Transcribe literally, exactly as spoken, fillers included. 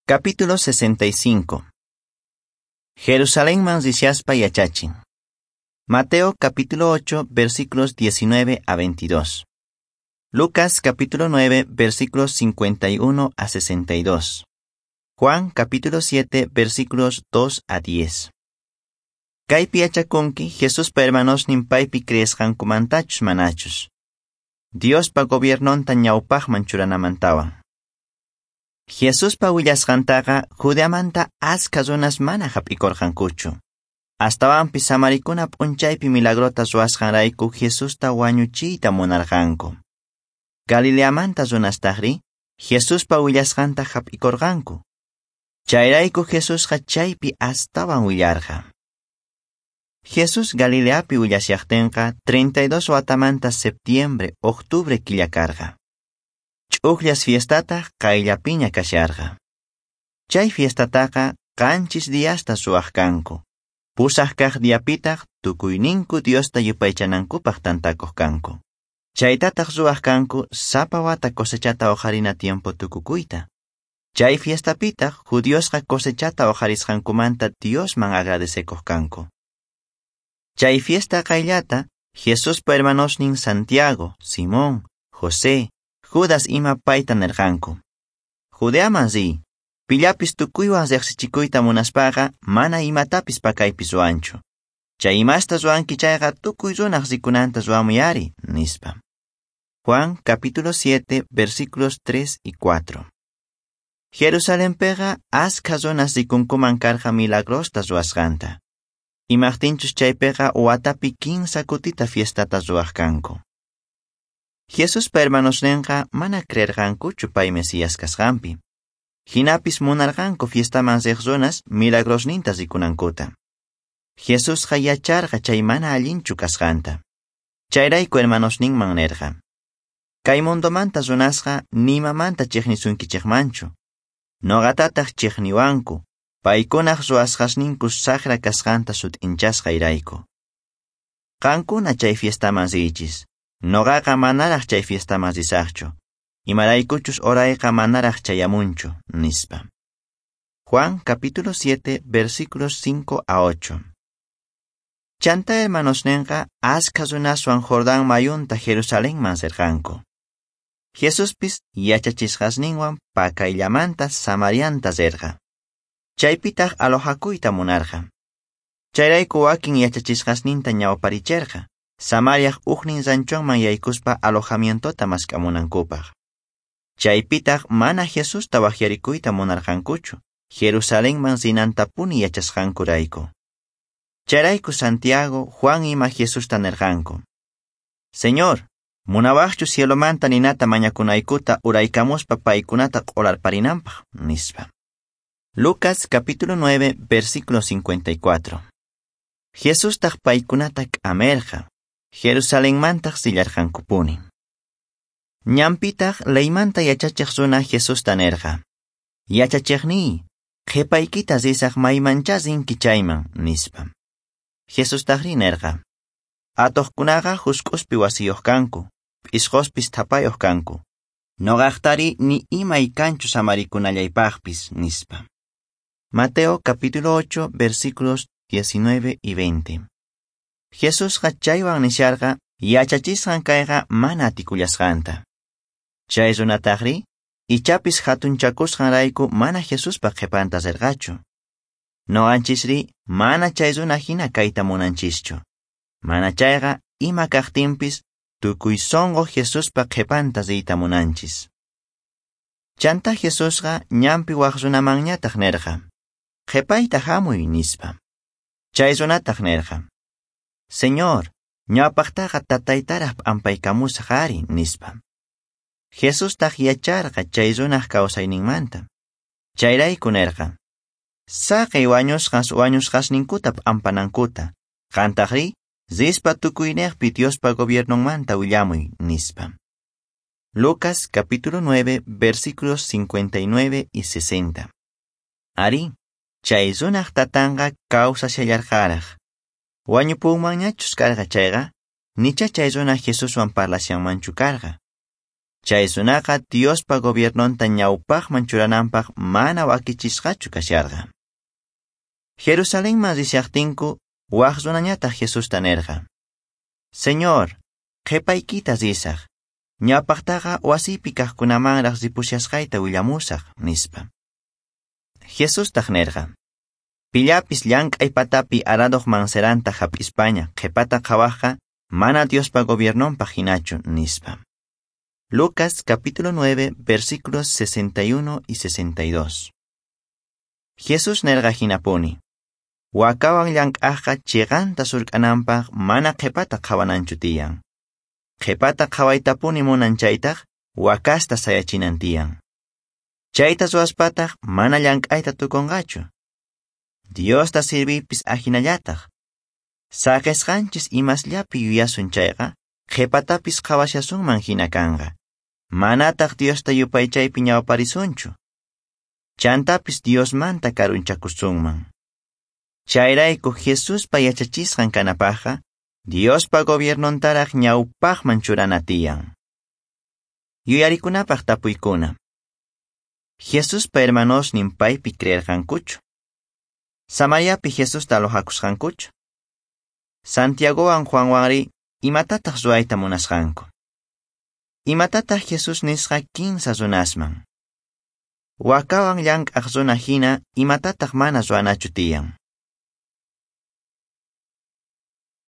Capítulo sesenta y cinco. Jerusalénman rishaspa yachachin. Mateo capítulo ocho, versículos diecinueve a veintidós. Lucas capítulo nueve, versículos cincuenta y uno a sesenta y dos. Juan capítulo siete, versículos dos a diez. Kaypi yachakunki Jesuspa hermanosnin paypi creesqankumantachus manachus. Diospa gobiernonta ñawpaqman churanamantawan. Jesuspa willasqantaqa Judeamanta askha runas mana hap'ikurqankuchu. Astawanpis samarikuna p'unchaypi milagrota ruwasqanrayku Jesusta wañuchiyta munarqanku. Galileamanta runastajri Jesuspa willasqanta hap'ikurqanku. Chayrayku Jesusqa chaypi astawan willarqa. Jesús Galileapi willashaqtinqa treinta y dos watamanta septiembre, octubre killa karqa. Ch'uqllas fiestata qayllapiña kasharqa. Chay fiestataqa qanchis diasta ruwaq kanku. Pusaq kaq diapitaq tukuyninku Diosta yupaychanankupaq tantakuq kanku. Chaytataq ruwaq kanku sapa wata cosechata uqharina tiempo tukukuyta. Chay fiestapitaq judiosqa cosechata uqharisqankumanta Diosman agradecekuq kanku. Chay fiesta qayllata Jesuspa hermanosnin Santiago, Simón, José, Judas ima payta nerqanku. Judeaman riy, pillapis tukuywan riqsichikuyta munaspaqa mana imatapis pakaypis ruwanchu. Chay imasta ruwanki chayqa tukuy runaq rikunanta ruwamuyari, nispa. Juan capítulo siete, versículos tres y cuatro. Jerusalenpeqa askha runas rikunkuman karqa milagrosta ruwasqanta. Imaqtinchus chaypiqa watapi kinsa kutita fiestata ruwaq kanku. Jesuspa hermanosninqa mana creerqankuchu pay Mesías kasqanpi. Hinapis munarqanku fiestaman riq runas milagrosninta rikunankuta. Jesusqa yacharqa chay mana allinchu kasqanta. Chayrayku hermanosninman nerqa: Kay mundomanta runasqa nimamanta chiqnisunkichikmanchu. Noqatataq chiqniwanku, paykunaq ruwasqasninku saqra kasqanta sut'inchasqayrayku. Qankuna chay fiestaman riychis. Noqaqa manaraq chay fiestaman risaqchu. Imaraykuchus horayqa manaraq chayamunchu, nispa. Juan capítulo siete, versículos cinco a ocho. Chanta hermanosninqa askha runaswan Jordán mayunta Jerusalenman rirqanku. Jesuspis yachachisqasninwan pakayllamanta Samarianta rirqa. Chaypitaq alojakuyta munarqa. Chayrayku wakin yachachisqasninta ñawparicherqa, Samariaq ujnin ranchonman yaykuspa alojamientota mask'amunankupaq. Chaypitaq mana Jesusta waqyarikuyta munarqankuchu, Jerusalenman rinantapuni yachasqankurayku. Chayrayku Santiago, Juan ima Jesusta nerqanku: Señor, munawaqchu cielomanta ninata mañakunaykuta uraykamuspa paykunata q'olarparinanpaq, nispa. Lucas capítulo nueve, versículo cincuenta y cuatro. Jesustaq paykunata k'amerqa, Jerusalenmantaq sillarqankupuni. Ñanpitaq leymanta yachachiq runa Jesusta nerqa: Yachachiqniy, qhipaykita risaq maymanchá rinki chayman, nispa. Jesustaqri nerqa: Atuqkunaqa husk'uspi wasiyuq kanku, p'isqospis thapayuq kanku. Noqaqtari ni imay kanchu samarikunallaypaqpis, nispa. Mateo capítulo ocho, versículos diecinueve y veinte. Jesusqa chaywan nisharqa yachachisqan kayqa mana atikullasqanta. Chay runataqri ichapis hatunchakusqanrayku mana Jesuspa qhipanta rirqachu. Noqanchisri mana chay runa hina kayta munanchischu. Mana chayqa ima kaqtinpis tukuy sunqu Jesuspa qhipanta riyta munanchis. Chanta Jesusqa ñanpi waq runamanñataq nerqa: Qhipayta hamuy, nispa. Chay runataq nerqa: Señor, ñawpaqtaqa tataytaraq p'ampaykamusaq ari, nispa. Jesustaq yacharqa chay runaq kawsayninmanta. Chayrayku nerqa: Saqey wañusqas wañusqasninkuta p'ampanankuta, qantaqri rispa tukuynejpi Diospa gobiernonmanta willamuy, nispa. Lucas capítulo nueve, versículos cincuenta y nueve y sesenta. Ari, chay runaq tatanqa kawsashallarqaraq. Wañupunmanñachus karqa chayqa, nicha chay runa Jesuswan parlashanmanchu karqa. Chay runaqa Diospa gobiernonta ñawpaqman churananpaq mana wakichisqachu kasharqa. Jerusalenman rishaqtinku waj runañataq Jesusta nerqa: Señor, qhipaykita risaq. Ñawpaqtaqa wasiypi kaqkunamanraq ripushasqayta willamusaq, nispa. Jesustaq nerqa: Pillapis llank'ay patapi aradoq manceranta hap'ispaña qhipata qhawajqa mana Diospa gobiernonpaq hinachu, nispa. Lucas capítulo nueve, versículos sesenta y uno y sesenta y dos. Jesús nerqa hinapuni: Wakawan llank'ajqa chiqanta surk'ananpaq mana qhipata qhawananchu tiyan. Qhipata qhawaytapuni munan chaytaq wakasta sayachinan tiyan. Chayta ruwaspataq mana llank'ayta tukunqachu. Diosta sirviypis ajinallataq. Saqesqanchis imasllapi yuyasun chayqa, qhipatapis qhawashasunman hina kanqa. Manataq Diosta yupaychaypi ñawparisunchu. Chantapis Diosmanta karunchakusunman. Chayrayku Jesuspa yachachisqan kanapaqqa, Diospa gobiernontaraq ñawpaqman churana tiyan. Yuyarikunapaq tapuykuna. Jesuspa hermanosnin paypi creerqankuchu? Samariapi Jesusta alojakusqankuchu? Santiagowan Juanwanri imatataq ruwayta munasqanku? Imatataq Jesús nisqa kinsa runasman? Wakawan llank'aq runa hina imatataq mana ruwanachu tiyan?